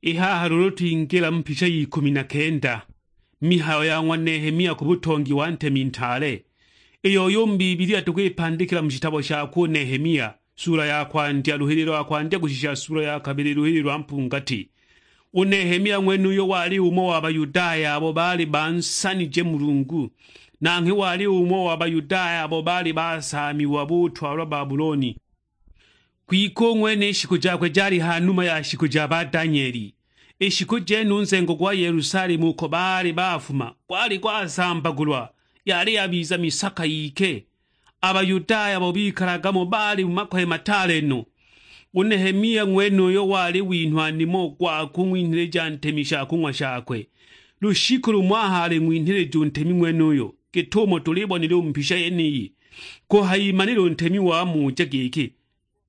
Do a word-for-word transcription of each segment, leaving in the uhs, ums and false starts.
I haha luulu twingila mu picha y'ikumi na kenda, mihayo ya ng'wa Nehemia ku butongi wa ntemi ntaale, iyo yu mu Bibilia tukwipandikila mu shitabo shakwe u Nehemia, sula ya kwandya, luhililo lwa kwandya kushisha sula ya kabili, luhililo lwa mpungati. U Nehemia ng'wenuyo wali umo wa Bayudaya abo baali bansanije Mulungu, nanghwe wali umo wa Bayudaya abo baali basaamiwa butwalwa Babuloni. Kwike u ng'wene i shiku jakwe jali ha numa ya shiku ja ba Danieli. I shiku jene u nzengo gwa Yelusalemu uko baali bafuma gwali gwasambagulwa, yali yabiza misaka yike. A Bayudaya abo bikalaga mo baali mu makoye mataale no. U Nehemia ng'wenuyo wali winhwa nimo gwa kung'winhilija ntemi shakung'wa shakwe. Lushiku lumo aho aling'winhilija u ntemi ng'wenuyo, git'umo tulibonile u mu mbisha yeniyi, kuhayimanila u ntemi wamuja giki,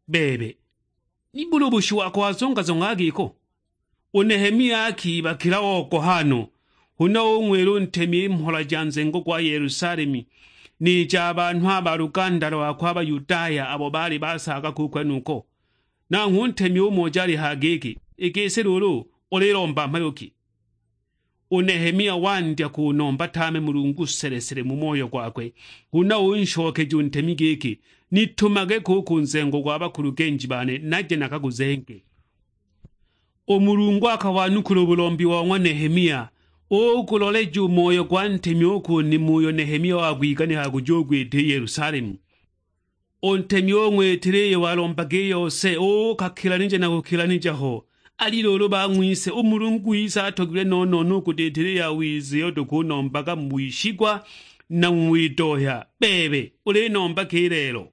"Bebe, nibuli u bushi wako wazongazonga giko?" U Nehemia akibakila ogoha no, huna ung'wila u ntemi i mhola ja nzengo gwa Yelusalemu, ni ja banhu a ba luganda lwakwe a Bayudaya abo baali basaagaga u kwenuko. Nanghwe u ntemi umuja alihaya giki, "I gisi luulu ulilomba mhayo ki?" U Nehemia wandya kunomba tame Mulungu sele-sele mu moyo gwakwe, huna unshokeja u ntemi giki, "Nitumage ko u ku nzengo gwa bakulugenji bane naje nakaguzenge." U Mulungu akawanukula u bulombi wa ng'wa Nehemia, uguloleja u moyo gwa ntemi u ku nimo uyo Nehemia wagwiganikaga kujugwita i Yelusalemu. U ntemi ung'witila iyo walombaga i yose, uukakilanija na kukilanija ho. Ali luulu bang'wise, u Mulungu wise atogilwe no-no-no u kuditila i yawiza iyo tukunombaga mu wishigwa na mu widohya. Bebe, ulinomba ki i lelo?